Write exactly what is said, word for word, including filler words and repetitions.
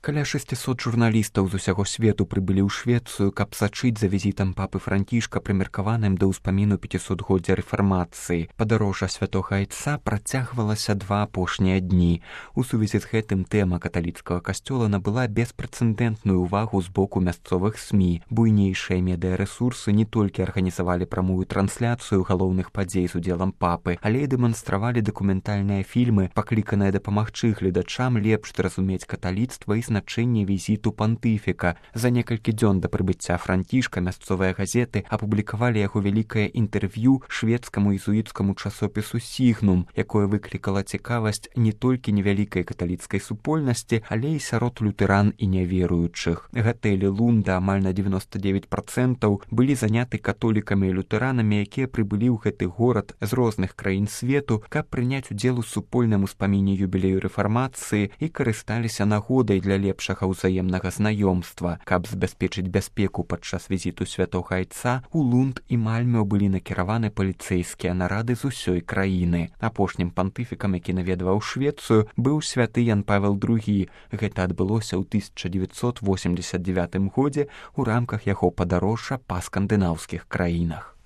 Каля шестисот журналістаў з усяго свету прыбылі ў Швецыю, каб сачыць за візітам папы Францішка, прымеркаваным да ўспаміну пяцісотгоддзя рэфармацыі. Падарожжа святога айца працягвалася два апошнія дні. У сувязі з гэтым тэма каталіцкага касцёла набыла беспрэцэдэнтную ўвагу з боку мясцовых СМІ. Буйнейшыя медыарэсурсы не толькі арганізавалі прамую трансляцыю галоўных падзей з удзелам папы, але і дэманстравалі дакументальныя фільмы, пакліканыя дапамагчы гледачам лепш зразумець каталіцтва і значэнне візіту пантыфіка. За некалькі дзён да прыбыцця Францішка мясцовыя газеты апублікавалі яго вялікае інтэрв'ю шведскаму езуіцкаму часопісу «Сігнум», якое выклікала цікавасць не толькі невялікай каталіцкай супольнасці, але і сярод лютэран і няверуючых. Гатэлі Лунда амаль на дзевяноста дзевяць працэнтаў былі заняты католікамі і лютэранамі, якія прыбылі ў гэты горад з розных краін свету, каб прыняць удзел у супольным успаміне юбілею рэфармацыі і карысталіся нагодай для лепшага ўзаемнага знаёмства. Каб забяспечыць бяспеку падчас візіту святога айца, у Лунд і Мальмё былі накіраваны паліцэйскія нарады з усёй краіны. Апошнім пантыфікам, які наведваў Швецыю, быў святы Ян Павел другі. Гэта адбылося ў тысяча дзевяцьсот восемьдесят девятым годзе ў рамках яго падарожжа па скандынаўскіх краінах.